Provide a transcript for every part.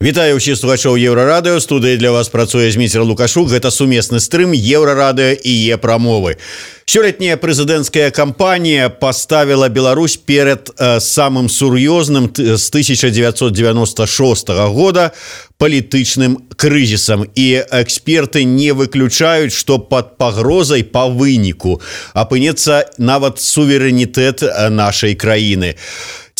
Вітаю ўсіх слухачоў Еўрарадыё. Студыі для вас працуе Зміцер Лукашук. Гэта сумесны стрым Еўрарадыё і Е-прамовы. Сёлетняя прэзідэнцкая кампанія паставіла Беларусь перад самым сур'ёзным з 1996 года палітычным крызісам. І эксперты не выключаюць, што пад пагрозай па выніку апынецца нават суверэнітэт нашай краіны.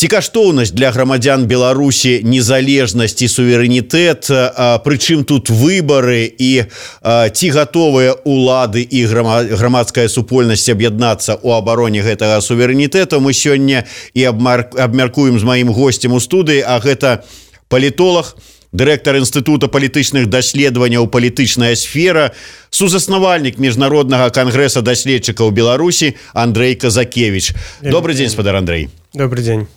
Ці каштоўнасць для грамадзян Беларусі незалежнасць і суверэнітэт, прычым тут выбары і ці гатовыя улады і грамадская супольнасць аб'яднацца ў абароне гэтага суверэнітэту, мы сёння і абмяркуем з маім госцем у студыі, а гэта палітолог, дырэктар Інстытута палітычных даследаванняў «Палітычная сфера», сузаснавальнік Міжнароднага кангрэса даследчыкаў Беларусі Андрэй Казакевіч. Добрый дзень, спадар Андрэй. Добрый дзень.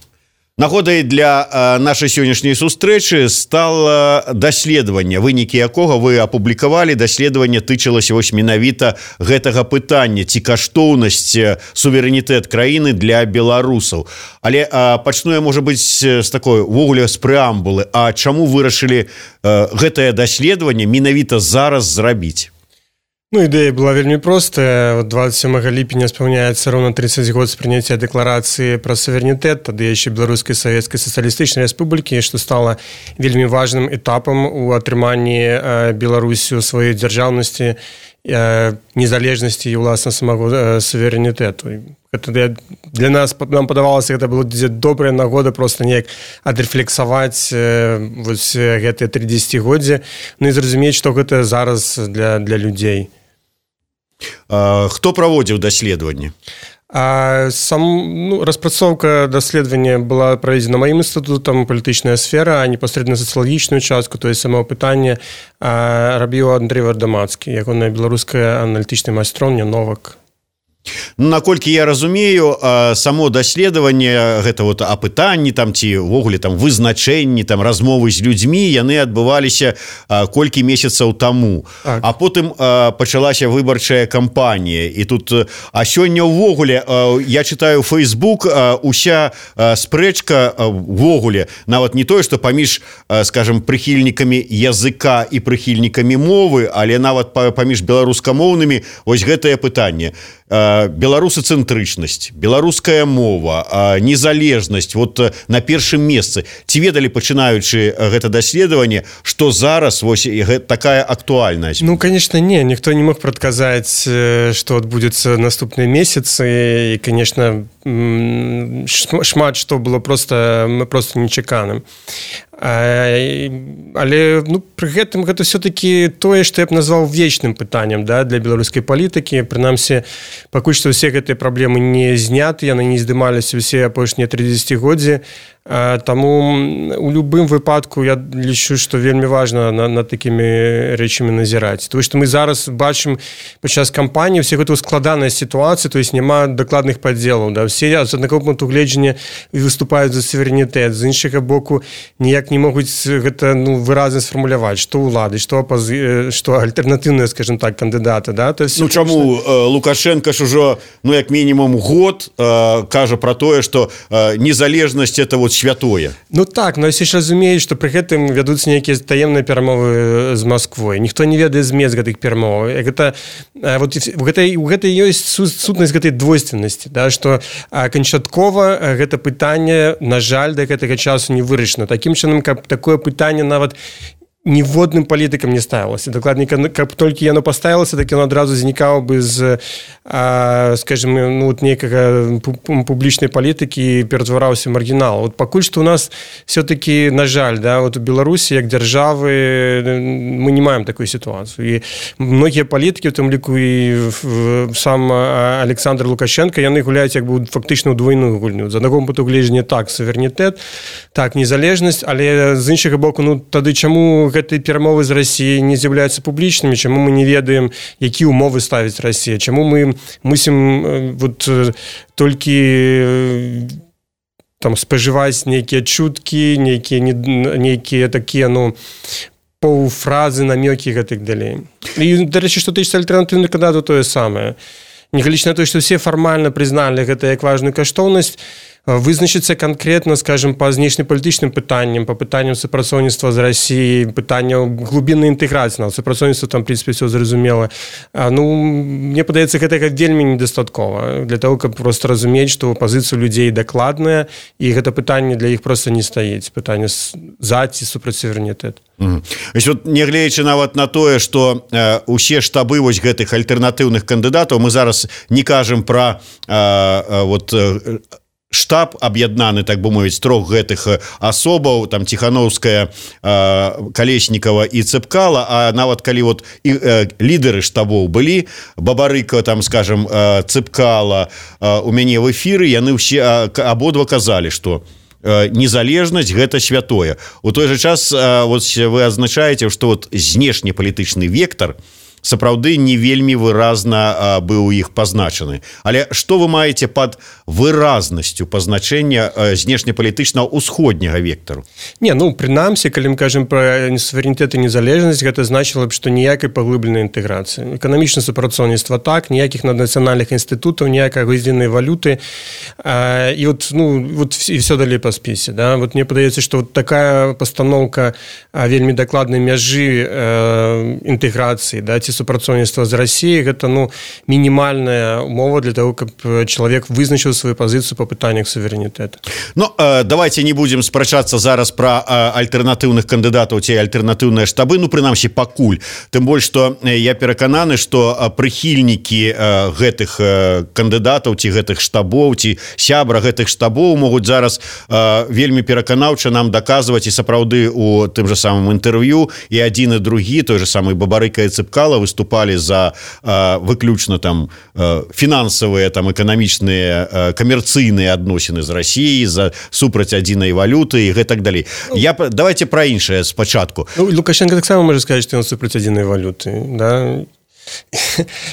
Нагодай для нашай сённяшняй сустрэчы стала даследаванне, вынікі якога вы апублікавалі. Даследаванне тычылася вось менавіта гэтага пытання, ці каштоўнасць суверэнітэт краіны для беларусаў. Але пачну я, можа быць, з такой увогуле з прэамбулы. А чаму вырашылі гэтае даследаванне менавіта зараз зрабіць? Ну, ідэя была вельмі простая. 27 ліпеня спаўняецца роўна 30 год з прыняцця дэкларацыі пра суверэнітэт, тады яшчэ Беларускай Савецкай Сацыялістычнай Рэспублікі, што стала вельмі важным этапам у атрыманні Беларусю сваёй дзяржаўнасці, незалежнасці і, уласна, самого суверэнітэту. Гэта для нас, нам падавалася, гэта было добрая нагода проста неяк адрэфлексаваць вось гэтыя 30годдзі, ну і зразумець, што гэта зараз для людзей. Хто праводзіў даследаванне? Распрацоўка даследавання была праведзена маім інстытутам «Палітычная сфера», а непасрэдна сацыялагічную частку, то есть самого пытання рабіў Андрэй Вардамацкі, ягоная беларуская аналітычная майстроўня «Новак». Наколькі я разумею, само даследаванне, гэта вот апытанні там ці ўвогуле там вызначэнні, там размовы з людзьмі, яны адбываліся колькі месяцаў таму. А потым пачалася выбарчая кампанія. І тут, а сёння ўвогуле, я чытаю Facebook, уся спрэчка ўвогуле, нават не тое, што паміж, скажем, прыхільнікамі языка і прыхільнікамі мовы, але нават паміж беларускамоўнымі, вось гэтае пытанне. Беларусацэнтрычнасць, беларуская мова, незалежнасць вот на першым месцы. Ці ведалі, пачынаючы гэта даследаванне, што зараз вось такая актуальнасць? Ну, конечно, не. Ніхто не мог прадказаць, што адбудзецца наступныя месяцы. І, конечно, шмат што было просто нечаканым. Але пры гэтым гэта все-таки тое, што я б назваў вечным пытаннем, да, для беларускай палітыкі. Прынамсі, пакуль што ўсе гэтыя праблемы не зняты, яны не здымаліся ўсе апошнія 30годдзі. Таму у любым выпадку я лічу, што вельмі важна над такімі рэчамі назіраць. Тому што мы зараз бачым падчас кампаніі ўсе гэта складаная сітуацыя, то есть няма дакладных падзелаў. Да? Все з аднаго пункту гледжання выступаюць за суверэнітэт, з іншага боку ніяк не могуць гэта выразна сфармуляваць, што ўлады, што альтэрнатыўныя, скажем так, кандыдаты. Да? Чаму Лукашенко ж ужо, як мінімум год кажа пра тое, што незалежнасць это вот святое. Ну так, но ўсе ж разумеюць, што пры гэтым вядуцца нейкія таемныя перамовы з Масквой. Ніхто не ведае змест гэтых перамоваў. Гэта ёсць сутнасць гэтай двойственнасці, да, што канчаткова гэта пытанне, на жаль, да гэтага часу не вырашана. Такім чынам, каб такое пытанне нават ніводным палітыкам не ставілася. Дакладней, каб толькі яно паставілася, так яно адразу знікала бы з, скажем, нейкага публічнай палітыкі і ператвараўся маргінал. Вот пакуль што у нас все-таки, на жаль, да, вот у Беларусі як дзяржавы мы не маем такой сітуацыю. І многія палітыкі, у тым ліку і сам Александр Лукашенко, яны гуляюць як бы фактычна ў двойную гульню. З аднаго пункту гледжання так суверэнітэт, так незалежнасць, але з іншага боку, тады чаму гэтыя перамовы з Расіяй не з'яўляюцца публічнымі, чаму мы не ведаем, якія ўмовы ставіць Расія, чаму мы мусім вот толькі там спажываць нейкія чуткі, нейкія такія, паўфразы, намёкі і гэтак далей. І, дарэчы, што тычыцца альтэрнатыўных кандыдатаў, тое самае. Нягледзячы на тое, што ўсе фармальна прызналі гэта як важную каштоўнасць, вызначыцца канкрэтна, скажем, па знешнепалітычным пытанням, па пытанням супрацоўніцтва з Расіяй, пытанняў глубіннай інтэграцыі, супрацоўніцтва там, в прынцыпе, все зразумела. Мне падаецца, гэтага вельмі недастаткова для того, каб просто разумець, што пазіцыя людзей дакладная, і гэта пытанне для іх просто не стаіць. Пытанне за ці супраць суверэнітэт. Вот, нягледзячы нават на тое, што усе штабы вось гэтых альтэрнатыўных кандыдатаў, мы зараз не кажам пра штаб аб'яднаны, так бы мовіць, трох гэтых асобаў, там Ціхановская, Калеснікава і Цэпкала, а нават калі вот лідары штабоў былі, Бабарыка, там, скажем, Цэпкала у мяне в эфіры, яны ўсе абодва казалі, што незалежнасць гэта святое. У той же час вот вы адзначаеце, што вот знешнепалітычны вектор сапраўды не вельмі выразна быў у іх пазначаны. Але што вы маеце пад выразнасцю пазначэння знешнепалітычнага ўсходняга вектару? Прынамсі, калі мы кажам пра суверэнітэт і незалежнасць, гэта значыла б, што ніякай паглыбленай інтэграцыі. Эканамічнае супрацоўніцтва так, ніякіх наднацыянальных інстытутаў, ніякай адзінай валюты. І все далей па спісе. Да? Вот мне падаецца, што такая пастаноўка вельмі дакладнай мяжы інтэграцыі, да, ці супрацоўніцтва з Расіяй, гэта мінімальная умова для того, каб чалавек вызначыў сваю пазіцыю па пытаннях суверэнітэта. Давайте не будзем спрачацца зараз пра альтэрнатыўных кандыдатаў ці альтэрнатыўныя штабы, прынамсі пакуль. Тым больш, што я перакананы, што прыхільнікі гэтых кандыдатаў ці гэтых штабоў, ці сябра гэтых штабоў могуць зараз вельмі пераканаўча нам даказваць, і сапраўды у тым жа самым інтэрв'ю і адзін і другі, той же самы Бабарыка і Цэпкала, выступали за выключна там фінансавыя, там эканамічныя, камерцыйныя адносіны з Расіяй, за супраць адзінай валюты і гэтак далей. Давайте пра іншае спачатку. Лукашенко таксама можа сказаць, што ён супраць адзінай валюты, да?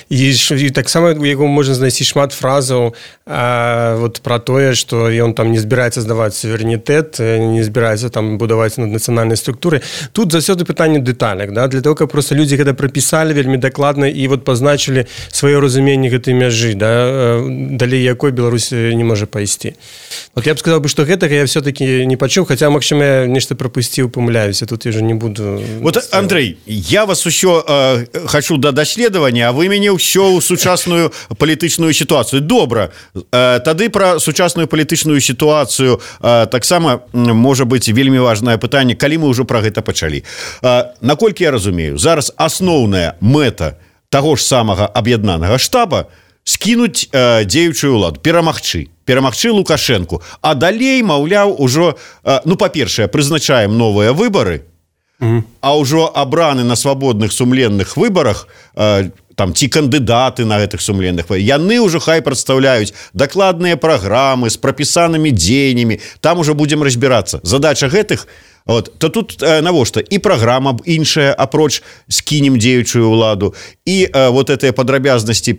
І таксама у яго можна знайсці шмат фразаў пра тое, што ён там не збіраецца здаваць суверэнітэт, не збіраецца там будаваць наднацыянальнай структуры. Тут заўсёды пытанне дэталек, да? Для того, каб проста людзі гэта прапісалі вельмі дакладна і пазначылі сваё разуменне гэтай мяжы, да? Далей якой Беларусь не можа пайсці. Я б сказаў, што гэтага я все-таки не пачуў, хаця, магчыма, я нешта прапусціў, памыляюся, тут я ўжо не буду... Андрей, я вас усё хочу да даследавання, а вы мяне ўсё ў сучасную палітычную сітуацыю. Добра, тады пра сучасную палітычную сітуацыю таксама можа быць вельмі важнае пытанне, калі мы ўжо пра гэта пачалі. Наколькі я разумею, зараз асноўная мэта таго ж самага аб'яднанага штаба скінуць дзеючую ўладу, перамагчы Лукашэнку, а далей, маўляў, ужо, па-першае, прызначаем новыя выбары, а ўжо абраны на свабодных сумленных выбарах там ці кандыдаты на гэтых сумленных, яны ўжо хай прадстаўляюць дакладныя праграмы з прапісанымі дзеяннямі, там ужо будзем разбірацца. Задача гэтых, то тут навошта? І праграма іншая, апроч скінем дзеючую ўладу, і гэтыя падрабязнасці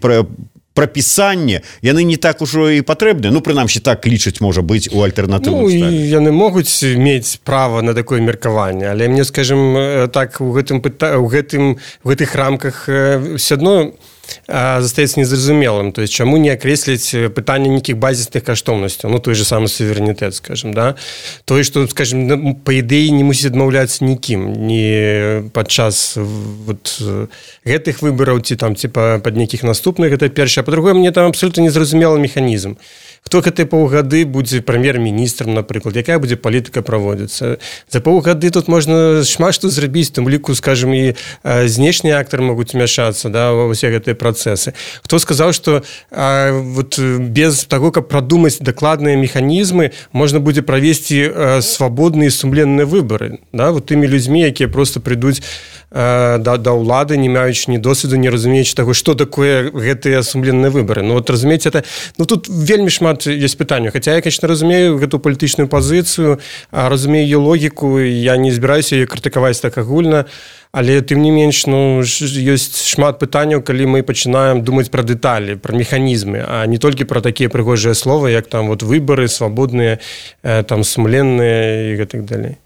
прапісанне, яны не так ужо і патрэбныя. Прынамсі, так лічаць, можа быць, у альтэрнатыўным штабе. Яны могуць мець права на такое меркаванне, але мне, скажем, так, у гэтых рамках все адно застаецца незразумелым. То есть, чаму не акрэсліць пытанне нейкіх базісных каштоўнасцяў, той же самы суверэнітэт, скажем, да? Тое, што, скажем, па ідэі не мусіць адмаўляцца нікім, ні падчас гэтых выбараў, ці пад нейкіх наступных, гэта першае. А па-другое, мне там абсолютно незразумелы механізм. Хто гэтыя паўгады будзе прэм'ер-міністрам, напрыклад, якая будзе палітыка праводзіцца. За паўгады тут можна шмат што зрабіць, тым ліку, скажем, і знешнія актары могуць умяшацца, да, ва ўсе гэтыя працэсы. Хто сказаў, што без таго, каб прадумаць дакладныя механізмы, можна будзе правесці свабодныя і сумленныя выбары, да, тымі людзьмі, якія проста прыйдуць да ўлады, не маючы ні досведу, не разумеючы таго, што такое гэтыя сумленныя выбары. Разумееце, тут вельмі шмат ёсць пытанняў. Хаця я, конечно, разумею гэту палітычную пазіцыю, разумею ее логіку, я не збіраюся яе крытыкаваць так агульна, але тым не менш, ёсць шмат пытанняў, калі мы пачынаем думаць пра дэталі, пра механізмы, а не толькі пра такія прыгожыя словы, як там выбары свабодныя, там сумленныя і гэтак далей.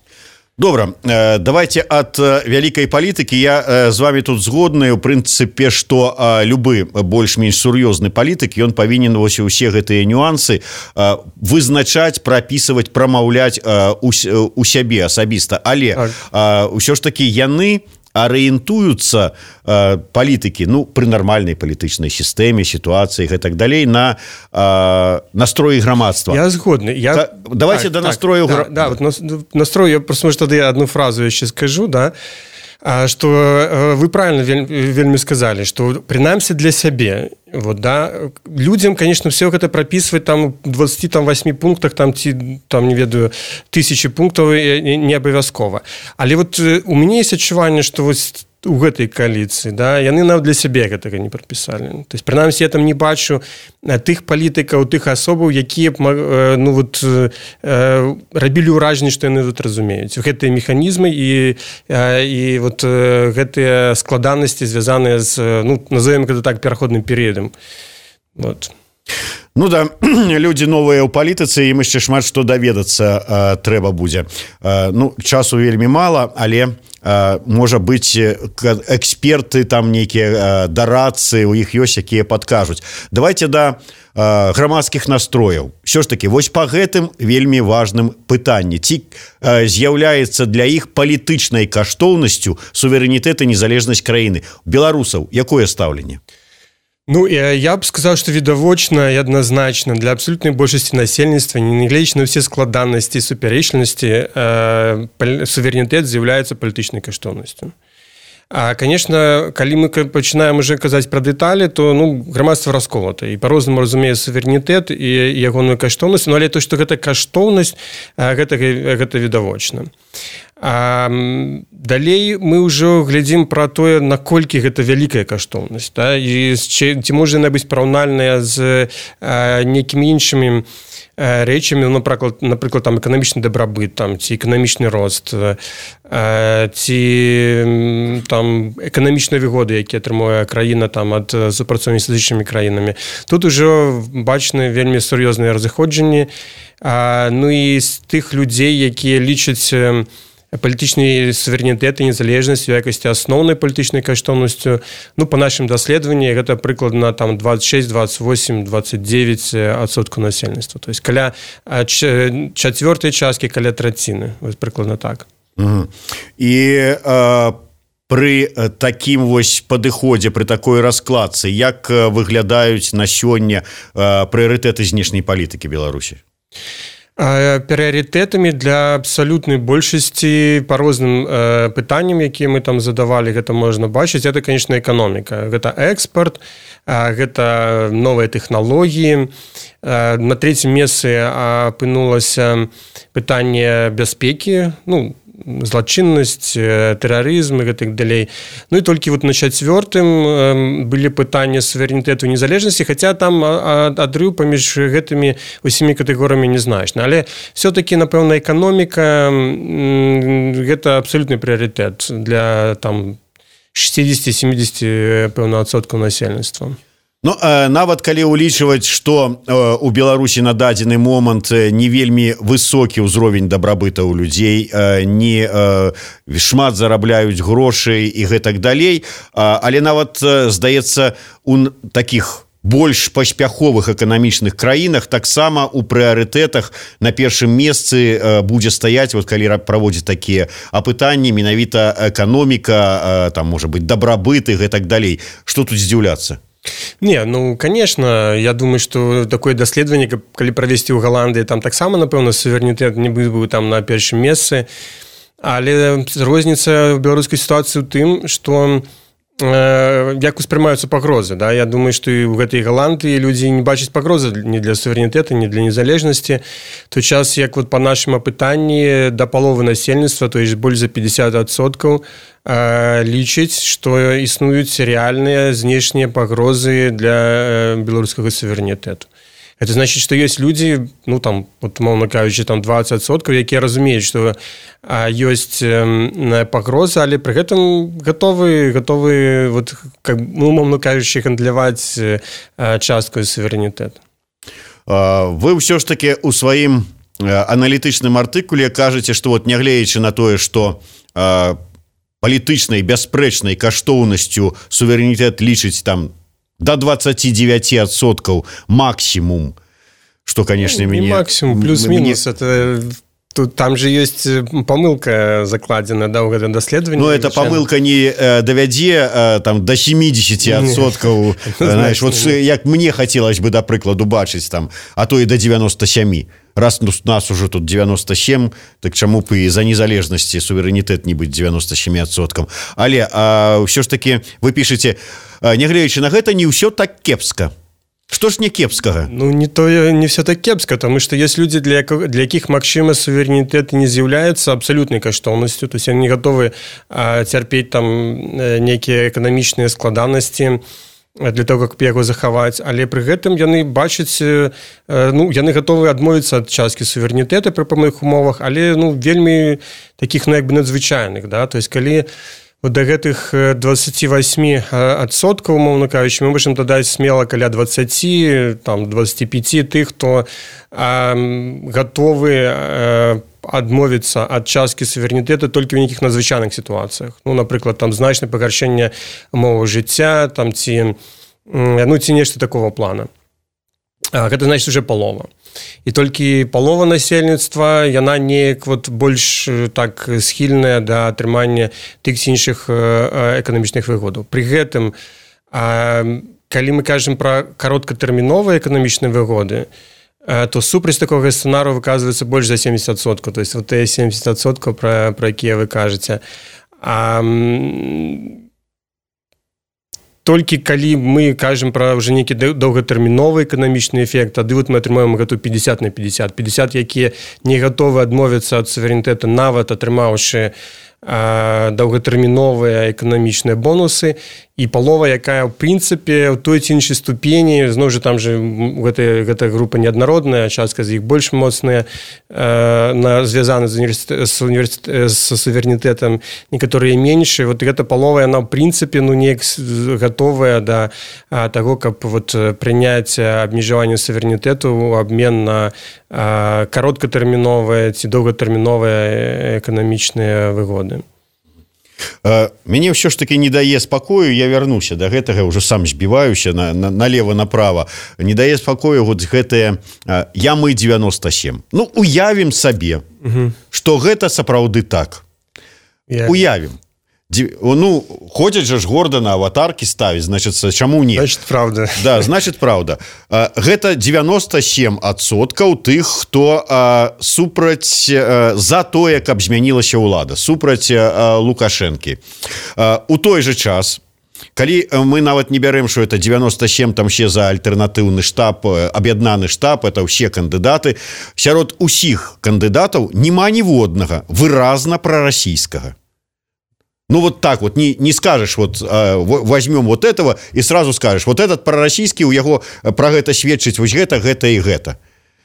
Добра, давайте ад вялікай палітыкі. Я з вами тут згодны у прынцыпе, што любы больш-менш сур'ёзны палітык, ён павінен вось усе гэтыя нюансы вызначаць, прапісваць, прамаўляць у сябе асабіста. Але ўсё ж такі яны арыентуюцца палітыкі, ну, пры нармальнай палітычнай сістэме, сітуацыі і так далей на настроі грамадства. Я згодны. Давайте до настрою... Да, вот настрой, я просто, может, тогда одну фразу еще скажу, да, что вы правильно вельми сказали, что принаймні для себе, вот, да, людям, конечно, все это прописывать там в 28 пунктах, там, не ведаю, 1000 пунктов не обовязково. Але вот у меня есть ощущение, что вот у гэтай коаліцыі, да, яны нават для сябе гэтага не прапісалі. То есть, прынамсі, я там не бачу тых палітыкаў, тых асобаў, якія б, ну, вот, рабілі ўражанне, што яны тут разумеюць. Гэтыя механізмы і вот гэтыя складанасці, звязаныя з, ну, назовем гэта так, пераходным перыядам. Вот. Ну да, людзі новыя ў палітыцы, ім яшчэ шмат што даведацца трэба будзе. Ну, часу вельмі мала, але можа быць эксперты там нейкія дарадцы, у іх ёсць, якія падкажуць. Давайте да грамадскіх настрояў. Ўсё ж такі, вось па гэтым вельмі важным пытанні. Ці з'яўляецца для іх палітычнай каштоўнасцю суверэнітэт і незалежнасць краіны? Беларусаў якое стаўленне? Ну, я б сказал, что відавочна и однозначно для абсолютной большасці насельніцтва, нягледзячы на все складанности и супярэчлівасці, суверэнітэт з'яўляецца палітычнай каштоўнасцю. А, конечно, калі мы пачынаем уже казаць пра дэталі, то, ну, грамадства расколата і по-рознаму разумее суверэнітэт і ягоную каштоўнасць, но але то, што гэта каштоўнасць, гэта відавочна. А далей мы ўжо глядзім пра тое, наколькі гэта вялікая каштоўнасць, да? І ці можа яна быць параўнальная з нейкімі іншымі рэчамі, напрыклад, там эканамічны дабрабыт, там, ці эканамічны рост, ці там эканамічныя выгоды, якія атрымуе краіна там ад супрацоўніцтва з іншымі краінамі. Тут ужо бачны вельмі сур'ёзныя разыходжанні. Ну і з тых людзей, якія лічаць палітычны суверэнітэт і незалежнасць у якасці асноўнай палітычнай каштоўнасцю, ну, па нашым даследаванні гэта прыкладна там 26, 28, 29% насельніцтва. То есть каля чацвёртай часткі, каля траціны. Вось прыкладна так. І пры такім вось падыходзе, пры такой раскладцы, як выглядаюць на сёння прыярытэты знешняй палітыкі Беларусі? Прыярытэтамі для абсалютнай большасці па розным пытанням, якія мы там задавалі, гэта можна бачыць, гэта, конечно, эканоміка. Гэта экспорт, гэта новыя тэхналогіі. На трэцім месцы апынулася пытанне бяспекі, ну, злачыннасць, тэрарызм і гэтак далей. Ну і толькі вот на чацвёртым былі пытанні суверэнітэту і незалежнасці, хаця там адрыў паміж гэтымі усімі катэгорыямі незначны. Але все-таки, напэўна, эканоміка гэта абсалютны прыярытэт для там 60-70, пэўна, адсоткаў насельніцтва. Ну, нават калі ўлічваць, што у Беларусі на дадзены момант не вельмі высокі ўзровень дабрабыта ў людзей, не шмат зарабляюць грошай і гэтак далей, але нават, здаецца, у такіх больш паспяховых эканамічных краінах таксама у прыярытэтах на першым месцы будзе стаяць, вот калі праводзіць такія апытанні, менавіта эканоміка, там, можа быць, дабрабыт і гэтак далей. Што тут здзіўляцца? Не, ну, конечно, я думаю, что такое даследаванне, калі правесці ў Галандыі, там таксама, напэўна, суверэнітэт не быў там на першым месцы, але розніца ў беларускай сітуацыі ў тым, што як успрымаюцца пагрозы, да? Я думаю, што і ў гэтай Галандыі людзі не бачаць пагрозы ні для суверэнітэта, ні для незалежнасці. Той час, як вот па нашым апытанні да паловы насельніцтва, то есть больш за 50%, лічыць, што існуюць рэальныя знешнія пагрозы для беларускага суверэнітэту. Это значит, что есть люди, ну, там, вот, умовно кажучи, там 20%, якія разумеюць, што ёсць пагроза, але пры гэтым готовы вот, как, ну, умовно кажучи, гандляваць часткаю суверэнітэту. Вы ўсё ж таки у сваім аналітычным артыкуле кажаце, што вот нягледзячы на тое, што палітычнай бясспрэчнай каштоўнасцю суверэнітэт лічыць там до 29% максимум, что, конечно, не максимум, плюс-минус, это... Тут, там же есть помылка закладена, да, в этом доследовании. Ну, эта помылка не довядзе там до 70%, знаешь, вот як мне хотелось бы, до прикладу, бачыць там, а то и до 97%. Раз нас уже тут 97, так чаму б і за незалежнасці суверэнітэт не быць 97%. Але ўсё ж таки вы пішаце, нягледзячы на гэта, не ўсё так кепска. Что ж не кепскага? Ну, не все так кепска, потому что есть люди, для якіх, магчыма, суверэнітэт не з'яўляецца абсалютнай каштоўнасцю, то есть они готовы цярпець там нейкія эканамічныя складанасці для того, как яго захаваць, але пры гэтым яны бачаць, ну, яны готовы адмовіцца ад часткі суверэнітэта пры пэўных умовах, але, ну, вельмі таких, ну, як бы надзвычайных, да, то есть калі вот до гэтых 28%, умовно кажучи, мы можем дадаць смело каля 20, там, 25 тых, хто готовы адмовіцца ад часткі суверэнітэта толькі ў нейкіх надзвычайных сітуацыях. Ну, напрыклад, там значнае пагаршэнне умоваў жыцця, там ці нешта такого плана. Гэта значыць уже палова. І толькі палова насельніцтва, яна неяк вот больш так схільная да атрымання тых ці іншых эканамічных выгодаў. Пры гэтым, калі мы кажам пра кароткатэрміновыя эканамічныя выгоды, то супраць такога сцэнару выказваецца больш за 70%. То есть вот тыя 70%, пра якія вы кажаце. Толькі калі мы кажам пра ўжо нейкі доўгатэрміновы эканамічны эфект, тады вот мы атрымаем гэту 50 на 50. 50, якія не гатовы адмовіцца ад суверэнітэта, нават атрымаўшы доўгатэрміновыя эканамічныя бонусы, і палова, якая ў прынцыпе ў той ці іншай ступені, зноў жа там же гэта група неаднародная, частка з іх больш моцная, звязаны з суверэнітэтам, некаторыя менш, вот гэта палова, яна ў прынцыпе, ну, неяк гатовая да таго, каб вот прыняць абмежаванне суверэнітэту ў абмен на кароткатэрміновыя ці доўгатэрміновыя эканамічныя выгоды. Мяне ўсё ж таки не дае спакою, я вярнуся да гэтага, ўжо сам збіваюся налево-направо, не дае спакою вот гэтае ямы 97. Ну, уявім сабе, што гэта сапраўды так. Уявім. Ну, ходзяць жа ж горда на аватаркі ставіць, значит, чаму не? Значит, правда. Да, значит, правда. Гэта 97% тых, хто супраць за тое, каб змянілася ўлада, супраць Лукашэнкі. У той же час, калі мы нават не бярем, што это 97, там ще за альтэрнатыўны штаб, аб'яднаны штаб, это ўсе кандыдаты, сярод усіх кандыдатаў няма ніводнага выразна прарасійскага. Ну, вот так вот, не скажешь, вот возьмем вот этого и сразу скажешь, вот этот пророссийский, у яго про гэта сведчыць, вось гэта и гэта.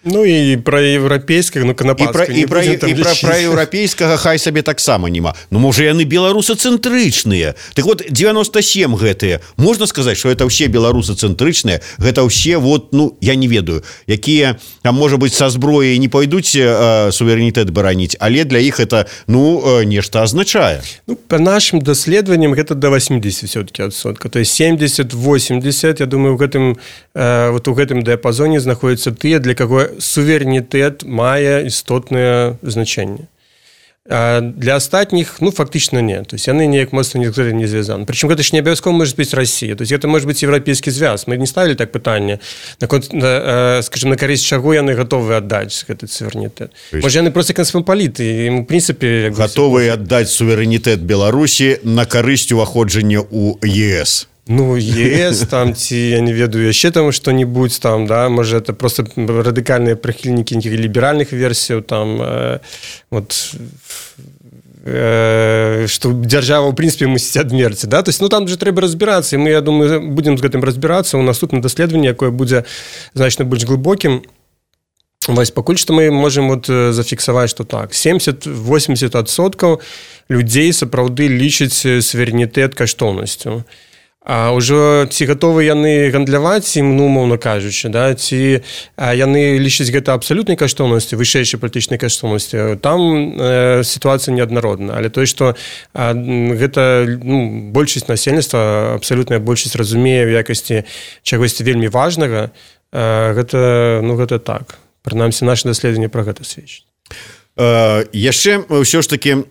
Ну, і пра еўрапейскага, ну, канапацкага. І пра еўрапейскага хай сабе таксама няма. Ну, можа, яны беларусацэнтрычныя. Так вот, 97 гэтыя. Можна сказаць, што гэта ўсе беларусацэнтрычныя, гэта ўсе, вот, ну, я не ведаю, якія, там, можа быць, са зброяй не пойдуць суверэнітэт бараніць, але для іх это, ну, нешта азначае. Ну, па нашым даследаванням гэта да 80 все-таки адсотка. То есть 70-80, я думаю, вот у гэтым дыяпазоне знаходзяцца тыя, для каго суверэнітэт мае істотнае значэнне. Для астатніх, ну, фактычна не. То есть яны неяк моцна не звязаны. Причем гэта ж не абавязкова можа быць Россия. То есть это может быть еўрапейскі звяз. Мы не ставілі так пытанне, скажем, на карысць чаго яны гатовы аддаць гэты суверэнітэт. Можа, яны проста касмапаліты, і, в прынцыпе, гатовы аддаць суверэнітэт Беларусі на карысць уваходжання ў ЕС. Ну, ЕС, там, ці, я не ведаю, яшчэ там што-нибудь, там, да, можа, это просто радыкальныя прыхільнікі нейкіх ліберальных версіяў, там, вот, што дзяржава, ў прынцыпе, мусіць адмерці, да, то есть, ну, там же трэба разбірацца, і мы, я думаю, будзем з гэтым разбірацца ў наступным даследаванні, якое будзе значна больш глыбокім. Вось, пакуль што мы можам вот зафіксаваць, што так, 70-80% людзей сапраўды лічаць суверэнітэт каштоўнасцю. А ўжо ці гатовы яны гандляваць ім, ну, умоўна кажучы, да? Ці яны лічаць гэта абсалютнай каштоўнасцю, вышэйшай палітычнай каштоўнасцю, там сітуацыя неаднародная. Але тое, што гэта, ну, большасць насельніцтва, абсалютная большасць разумее ў якасці чагосьці вельмі важнага, гэта, ну, гэта так. Прынамсі, наша даследаванне пра гэта сведчыць. Яшчэ ўсё ж такі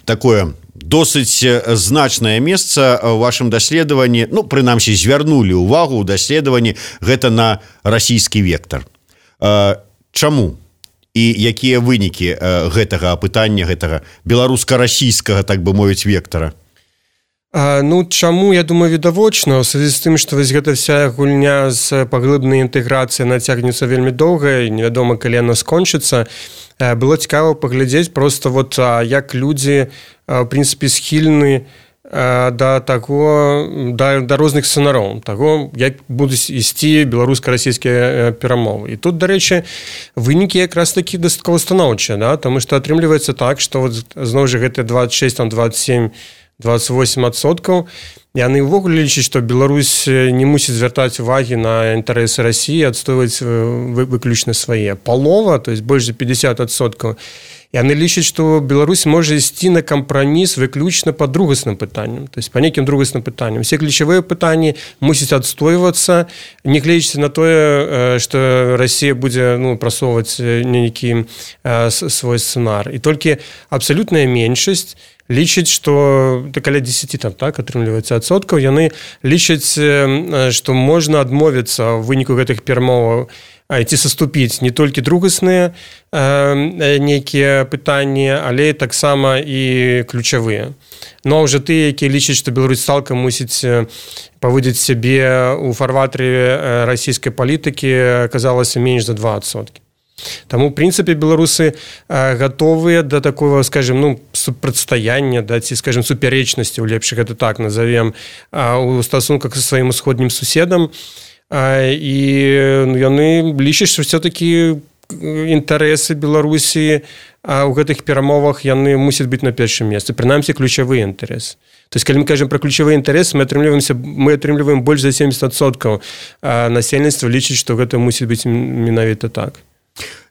такое досыць значнае месца ў вашым даследаванні, ну, прынамсі, звярнулі ўвагу ў даследаванні гэта на расійскі вектар. Чаму? І якія вынікі гэтага апытання, гэтага беларуска-расійскага, так бы мовіць, вектара? Ну, чаму, я думаю, відавочна, у звязі з тым, што вось гэта вся гульня з паглыбнай інтэграцыяй нацягнецца вельмі доўга, і невядома, калі яна скончыцца. Было цікава паглядзець просто вот, як людзі, в прынцыпе, схільны да таго, да розных сцэнароў, таго, як будуць ісці беларуска-расійскія перамовы. І тут, дарэчы, вынікі якраз такі дастаткова станоўчыя, да? Таму што атрымліваецца так, што вот, зноў жа гэты 26, там, 27, 28%, яны ўвогуле лічаць, што Беларусь не мусіць звяртаць увагі на інтарэсы Расіі, адстойваць выключна свае. Палова, то есть больш за 50%, яны лічаць, што Беларусь можа ісці на кампраміс выключна па другасным пытанням, то есть па нейкім другасным пытанням. Усе ключавыя пытанні мусяць адстойвацца, не гледзячы на тое, што Расія будзе, ну, прасоўваць нейкі свой сцэнар. І толькі абсалютная меншасць лічаць, што каля 10 там, так, атрымліваецца адсоткаў, яны лічаць, што можна адмовіцца ў выніку гэтых перамоваў ці саступіць не толькі другасныя нейкія пытанні, але таксама і ключавыя. Ну, а ўжо тыя, якія лічаць, што Беларусь цалкам мусіць паводзіць сябе ў фарватары расійскай палітыкі, аказалася менш за 2%. Таму, в прынцыпе, беларусы гатовыя да такого, скажем, ну, супрацьстаяння, да, ці, скажем, супярэчнасці, у лепш гэта так назовем, у стасунках са сваім усходнім суседам, і яны лічаць, што все-таки інтарэсы Беларусі у гэтых перамовах яны мусяць быць на першым месцы, прынамсі ключавыя інтарэсы. То есть, калі мы кажам пра ключавыя інтарэсы, мы атрымліваем больш за 70% насельніцтва лічыць, што гэта мусіць быць менавіта так.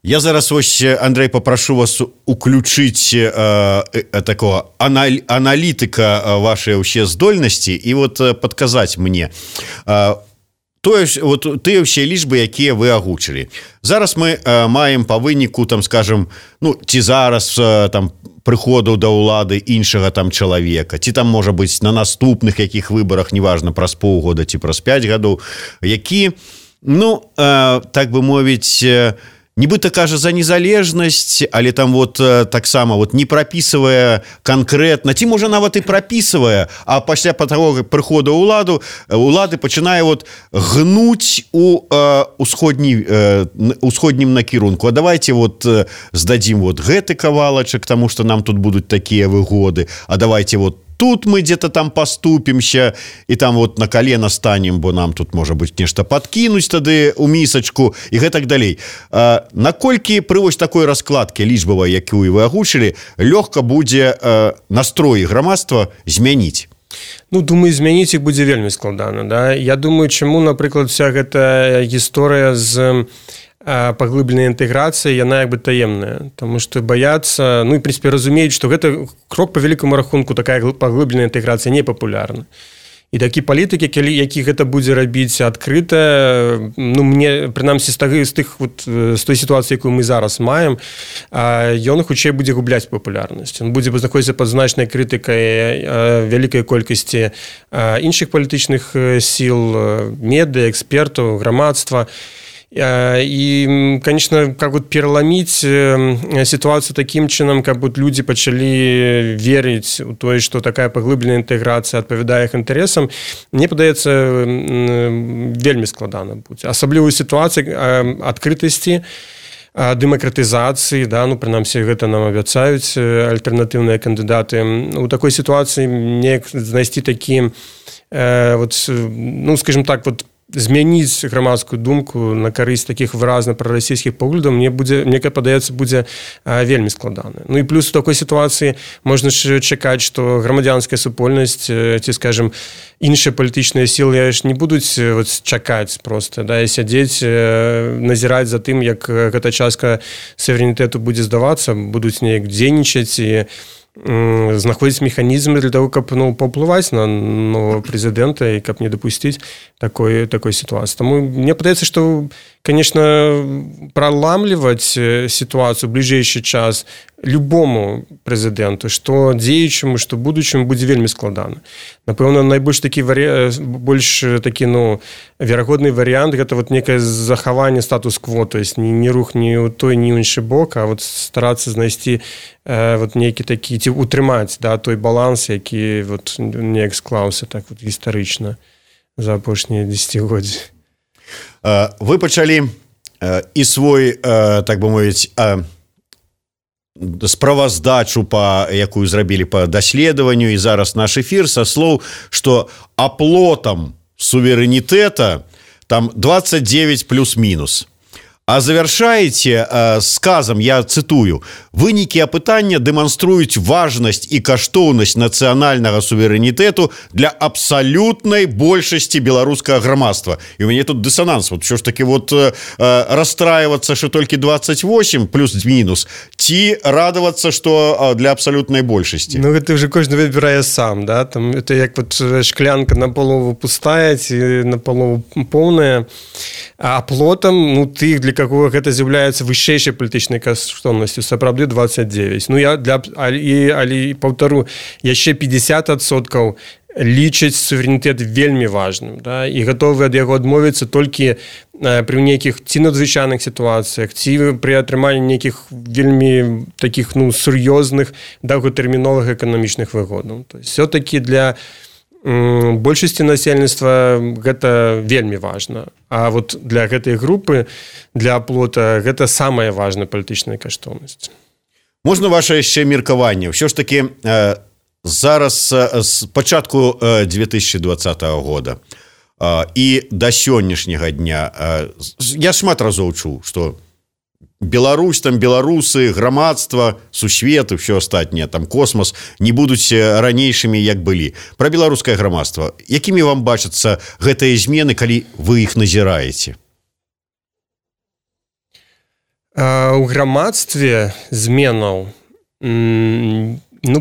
Я зараз ось, Андрей, попрошу вас уключить такого аналітика вашей вообще здольности и вот подказать мне. Вот тыя ўсе лічбы, якія вы агучылі. Зараз мы маем па выніку, там, скажем, ну, ці зараз там прыходу да ўлады іншага там чалавека, ці там, можа быць, на наступных якіх выбарах, неважна, праз паўгода ці праз 5 гадоў, які, ну, так бы мовіць, нібыта кажа за незалежнасць, але там вот таксама вот не прапісвае канкрэтна, ці можа нават і прапісвае, а пасля таго прыходу улады пачынае вот гнуць у усходнім накірунку. А давайте вот здадзім вот гэты кавалачак, таму што нам тут будуць такія выгоды, а давайте вот тут мы где-то там поступимся и там вот на колено станем, бо нам тут, может быть, нешта подкинуть тады у мисочку и гэтак далей. Наколькі пры вось такой раскладке лічбавай, якую вы агучылі, лёгка будзе настроі грамадства змяніць? Ну, думаю, змяніць іх будзе вельмі складана. Да? Я думаю, чаму, напрыклад, вся гэта гісторыя з паглыбленай інтэграцыі, яна як бы таемная, таму што баяцца, ну і, в прынцыпе, разумеюць, што гэта крок па вялікаму рахунку, такая паглыбленая інтэграцыя не папулярна. І такі палітык, які гэта будзе рабіць адкрыта, ну, мне, прынамсі, з той сітуацыі, якую мы зараз маем, ён хутчэй будзе губляць папулярнасць. Ён будзе знаходзіцца пад значнай крытыкай вялікай колькасці іншых палітычных сіл, медыа, экспертаў, грамадства. И, конечно, как вот переломить ситуацию таким чином, как вот люди начали верить в то, что такая поглыбленная интеграция отповедает их интересам, мне падаецца вельмі складана будзе. Асабліва ў сітуацыі адкрытасці, дэмакратызацыі, да, ну, прынамсі, гэта нам абяцаюць альтэрнатыўныя кандыдаты. У такой сітуацыі мне знайсці такі, вот, ну, скажем так, вот, змяніць грамадскую думку на карысць такіх выразна прарасійскіх поглядаў мне падаецца будзе вельмі складана. Ну і плюс у такой сітуацыі можна чакаць, што грамадзянская супольнасць ці, скажем, іншыя палітычныя сілы ж не будуць чакаць проста, да, і сядзець, назіраць за тым, як гэта частка суверэнітэту будзе здавацца, будуць неяк дзейнічаць і знаходзіць механізмы для того, каб паўплываць на нового прэзідэнта і каб не дапусціць такой сітуацыі. Таму мне падаецца, што, конечно, праламліваць сітуацыю ў бліжэйшы час любому прэзідэнту, што дзеючаму, што будучаму, будзе вельмі складана. Напэўна, найбольш такі верагодны варыянт гэта некае захаванне статус-кво, то есть не рух ні ў той, ні ў іншы бок, а старацца знайсці нейкі такі, ці утрымаць, да, той баланс, які неяк склаўся так гістарычна за апошнія дзесяцігоддзі. Вы пачалі і свой, так бы мовіць, справаздачу, якую зрабілі па даследаванню, і зараз наш эфір са слоў, што аплотам суверэнітэта там 29 плюс-мінус. А завяршаеце сказам, я цытую, вынікі апытання дэманструюць важнасць і каштоўнасць нацыянальнага суверэнітэту для абсалютнай большасці беларускага грамадства. І у мяне тут дысананс. Що ж таки расстраивацца, што толькі 28 плюс-мінус, ці радавацца, што для абсалютнай большасці? Ну, гэта вже кожны выбірае сам, да? Там, это як шклянка напалову пустая ці напалову поўная. А аплотам, тых, для какого гэта з'яўляецца вышэйшай палітычнай каштоўнасцю, сапраўды 29. Але паўтару, яшчэ 50% лічаць суверэнітэт вельмі важным, да, і гатовы ад яго адмовіцца толькі пры нейкіх ці надзвычайных сітуацыях, ці пры атрыманні нейкіх вельмі такіх сур'ёзных доўгатэрміновых эканамічных выгодаў. То есть все-таки для большасці насельніцтва гэта вельмі важна. А для гэтай групы, для аплота, гэта самая важная палітычная каштоўнасць. Можна ваше яшчэ меркаванне? Ўсё ж такі зараз з пачатку 2020 года і да сённяшняга дня я шмат разоў чуў, што Беларусь, там беларусы, грамадства, сусвет і ўсё астатняе, там космос не будуць ранейшымі, як былі. Пра беларускае грамадства. Якімі вам бачацца гэтыя змены, калі вы іх назіраеце? У грамадстве зменаў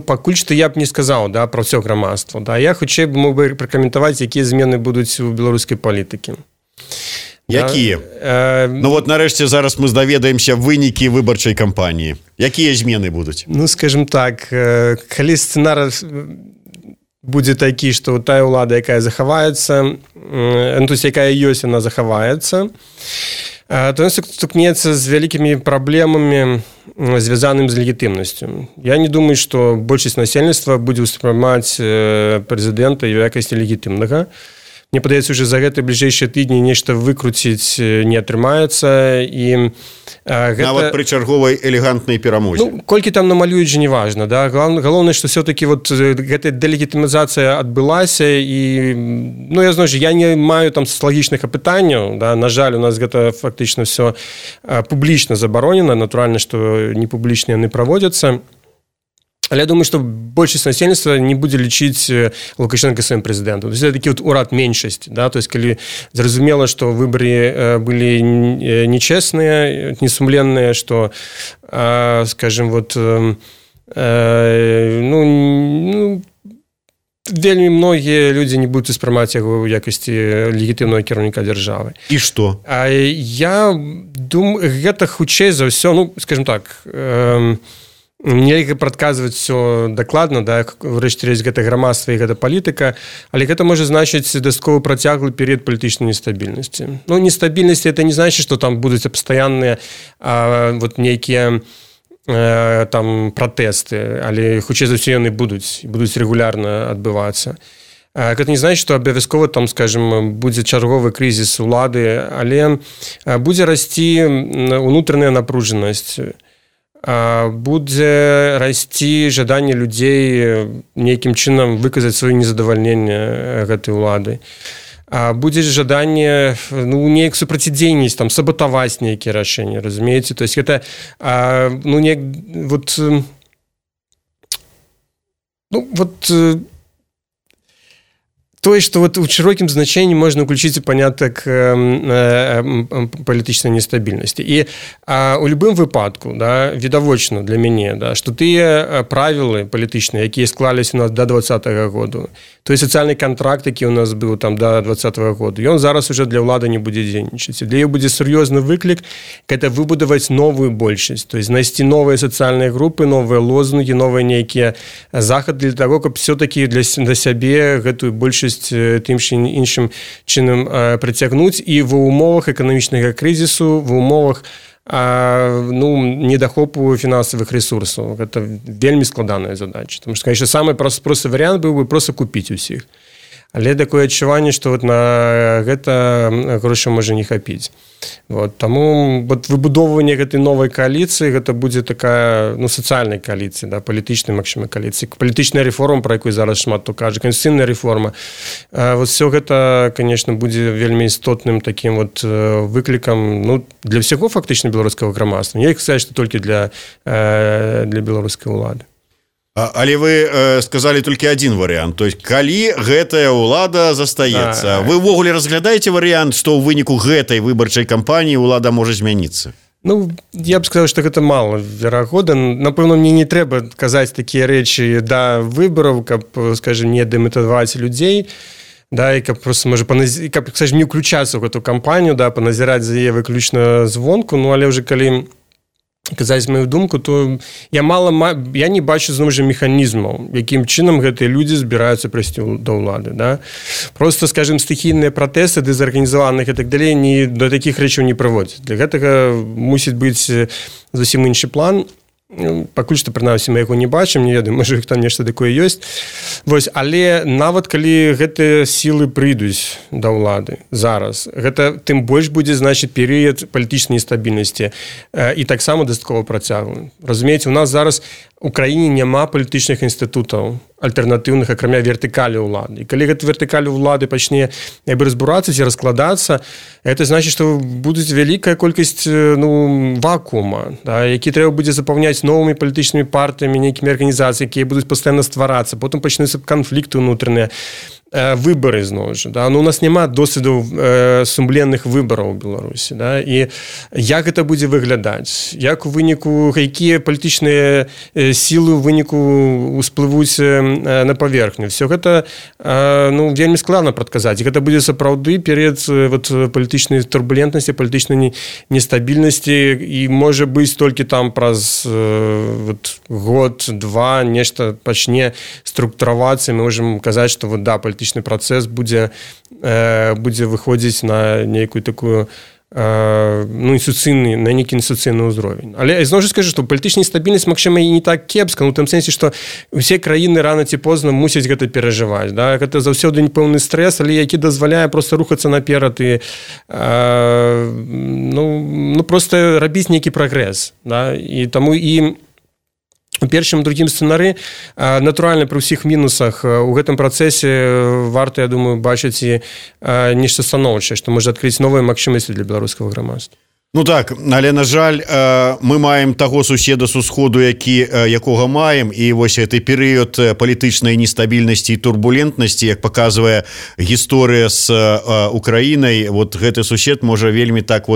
пакуль што я б не сказаў, да, пра ўсё грамадства. Да. Я хутчэй мог бы пракаментаваць, якія змены будуць у беларускай палітыкі. Якія? Нарэшце зараз мы даведаемся вынікі выбарчай кампаніі. Якія змены будуць? Скажем так, калі сцэнар будзе такі, што тая ўлада, якая захаваецца, якая ёсць, яна захаваецца, то ён стукнецца з вялікімі праблемамі, звязаным з легітымнасцю. Я не думаю, што большасць насельніцтва будзе ўспрымаць прэзідэнта ў якасці легітымнага. Мне падаецца, уже за гэты бліжэйшыя тыдні нешта выкруціць не атрымаецца. Нават пры чарговай элегантнай перамозе. Колькі там намалююць, не важна. Да? Галоўнае, што все-таки гэтая дэлегітымізацыя адбылася, і я не маю там сацыялагічных апытанняў. Да? На жаль, у нас гэта фактычна все публічна забаронена. Натуральна, што не публічна яны праводзяцца. Але я думаю, што большасць насельніцтва не будзе лічыць Лукашенка сваім прэзідэнтам. Это такі урад меншасці. Да? То есть, калі зразумела, што выбары былі нечесныя, несумленныя, што, скажем, вельмі многія людзі не будуць успрымаць яго ў якасці легітымнага кіраўніка дзяржавы. І што? Я думаю, гэта хутчэй за ўсё, скажем так, нельга прадказваць все дакладна, да, ўрэшце рэшт гэта грамадства і гэта палітыка, але гэта можа значыць дастаткова працяглы перыяд палітычнай нестабільнасці. Нестабільнасці это не значыць, што там будуць пастаянныя нейкія там пратэсты, але хутчэй за ўсё яны будуць рэгулярна адбывацца. Гэта не значыць, што абавязкова там, скажем, будзе чарговы крызіс улады, але будзе расці унутраная напружанасць. Будзе расці жаданне людзей нейкім чынам выказаць сваё незадавальненне гэтай улады. будзе жаданне неяк супрацьдзейнасць там сабатаваць нейкія рашэнні, разумееце, то есть гэта неяк тое, што у шырокім значэнні можна ўключыць у панятак палітычнай нестабільнасці. І у любым выпадку, відавочна для мяне, што тыя правілы палітычныя, якія склаліся у нас да 2020 году, той сацыяльны кантракт, які ў нас быў там да 2020 году, ён зараз уже для ўлады не будзе дзейнічаць. Для яе будзе сур'ёзны выклік гэта выбудаваць новую большасць, то есть знайсці новыя сацыяльныя групы, новыя лозунгі, новыя нейкія захады для таго, каб все-таки для сябе гэтую большасць тым іншым чынам прыцягнуць і ва ўмовах эканамічнага крызісу, ва ўмовах недахопу фінансавых ресурсаў. Гэта вельмі складаная задача. Тому што, конечно, самы просты варыянт быў бы проста купіць усіх. Але такое адчуванне, што на гэта грошай можа не хапіць. Таму выбудоўванне гэтай новай кааліцыі гэта будзе такая сацыяльная кааліцыя, палітычная магчыма кааліцыя, палітычная рэформа, пра якую зараз шмат хто кажа, канстытуцыйная рэформа. Все гэта, конечно, будзе вельмі істотным такім выклікам для ўсяго фактычна беларускага грамадства. Не сказаць, што толькі для беларускай улады. Але вы сказалі толькі адзін варыянт, то есть калі гэтая ўлада застаецца, вы ўвогуле разглядаеце варыянт, што ў выніку гэтай выбарчай кампаніі ўлада можа змяніцца? Я б сказаў, што гэта мала верагодна. Напэўна, мне не трэба казаць такія рэчы да выбараў, каб, скажем, не дэматываваць людзей, і каб просто можа не ўключацца ў гэту кампанію, паназіраць за яе выключна звонку, але ўжо калі казаць маю думку, то я не бачу зноў жа механізмаў, якім чынам гэтыя людзі збіраюцца прыйсці да ўлады. Просто, скажем, стыхійныя пратэсты, дезарганізаваныя і так далей да такіх рэчаў не прыводзяць. Для гэтага мусіць быць зусім іншы план. Пакуль што, прынамсі, мы яго не бачым, не ведаю, можа, там нешта такое ёсць. Але нават калі гэтыя сілы прыйдуць да ўлады зараз, гэта тым больш будзе, значыць, перыяд палітычнай нестабільнасці і таксама дастаткова працяглы. Разумееце, у нас зараз у краіне няма палітычных інстытутаў альтэрнатыўных, акрамя вертыкалі ўлады. І калі гэта вертыкалі ўлады пачне разбурацца ці раскладацца, это значыць, што будуць вялікая колькасць вакуума, які трэба будзе запаўняць новымі палітычнымі партыямі, нейкімі арганізацыямі, якія будуць пастаянна стварацца, потым пачнуцца канфлікты ўнутраныя, выбары зноў жа. У нас няма досведу сумленных выбараў у Беларусі. І як гэта будзе выглядаць? Як у выніку, якія палітычныя сілы ў выніку усплывуць на паверхню? Все гэта вельмі складана прадказаць. Гэта будзе сапраўды перыяд палітычнай турбулентнасці, палітычнай нестабільнасці, і можа быць толькі там праз год-два нешта пачне структуравацца, мы можам казаць, што палітычны працэс будзе выходзіць на нейкую такую на нейкі інстытуцыйны ўзровень. Але зноў жа скажу, што палітычная стабільнасць, магчыма, і не так кепска, у тым сэнсе, што ўсе краіны рана ці позна мусяць гэта перажываць. Гэта заўсёды непэўны стрэс, але які дазваляе проста рухацца наперад і проста рабіць нейкі прагрэс. І таму і у першым, другім сцэнары, натуральна, пры ўсіх мінусах у гэтым працэсе варта, я думаю, бачыць і нешта станоўчае, што можа адкрыць новыя магчымасці для беларускага грамадства. Так, але, на жаль, мы маем таго суседа з усходу, якога маем, і вось гэты перыяд палітычнай нестабільнасці і турбулентнасці, як паказвае гісторыя з Украінай, гэты сусед можа вельмі так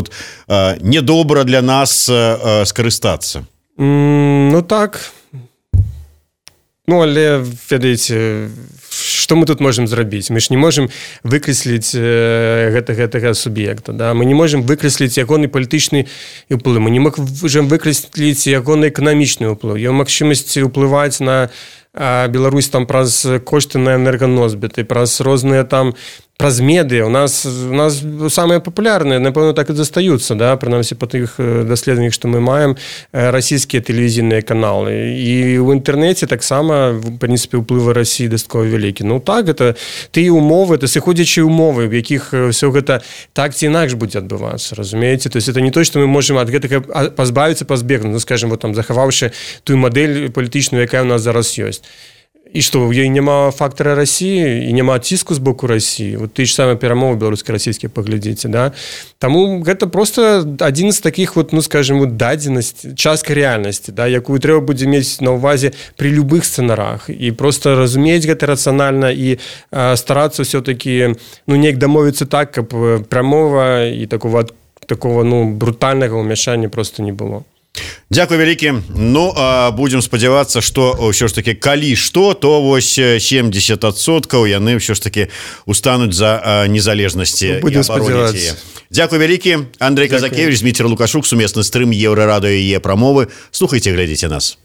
недобра для нас скарыстацца. Так. Але, ведаеце, што мы тут можам зрабіць? Мы ж не можам выкрэсліць гэтага суб'екта. Мы не можам выкрэсліць ягоны палітычны ўплыў. Мы не можам выкрэсліць ягоны эканамічны ўплыў. Ён магчымасць уплываць на Беларусь там праз кошты на энерганосьбіты, праз розныя там праз медыа. У нас самыя папулярныя, напэўна, так і застаюцца, прынамсі па тых даследаваннях, што мы маем, расійскія тэлевізійныя каналы. І ў інтэрнэце таксама, в прынцыпе, ўплывы Расіі дастаткова вялікі. Так, гэта тыя умовы, это сыходзячыя умовы, в якіх ўсё гэта так ці інакш будзе адбывацца, разумееце? То есть это не то, што мы можам ад гэтага пазбавіцца, пазбегнуць, скажем, захаваўшы тую мадэль палітычную, якая ў нас зараз ёсць. і што ў ёй няма фактара Расіі і няма ціску з боку Расіі, вот ты ж самыя перамовы беларуска-расійскія паглядзіце, да? Таму гэта просто адзін з такіх вот, ну скажем, вот дадзенасць, частка рэальнасці, да, якую трэба будзе мець на ўвазе при любых сцэнарах і просто разумець гэта рацыянальна і старацца ўсё-таки, ну неяк дамовіцца так, каб прамова і такого ну брутальнага ўмяшання просто не было. Дзякуй вялікі. Ну будзем спадзявацца, што ўсё ж таки калі што, то вось 70% яны ўсё ж таки устануць за незалежнасці. Будем спадзявацца. Дзякуй вялікі. Андрэй Казакевіч, Зміцер Лукашук, сумесны стрым Еўрарадыё і Е-прамовы. Слухайце, глядзіце нас.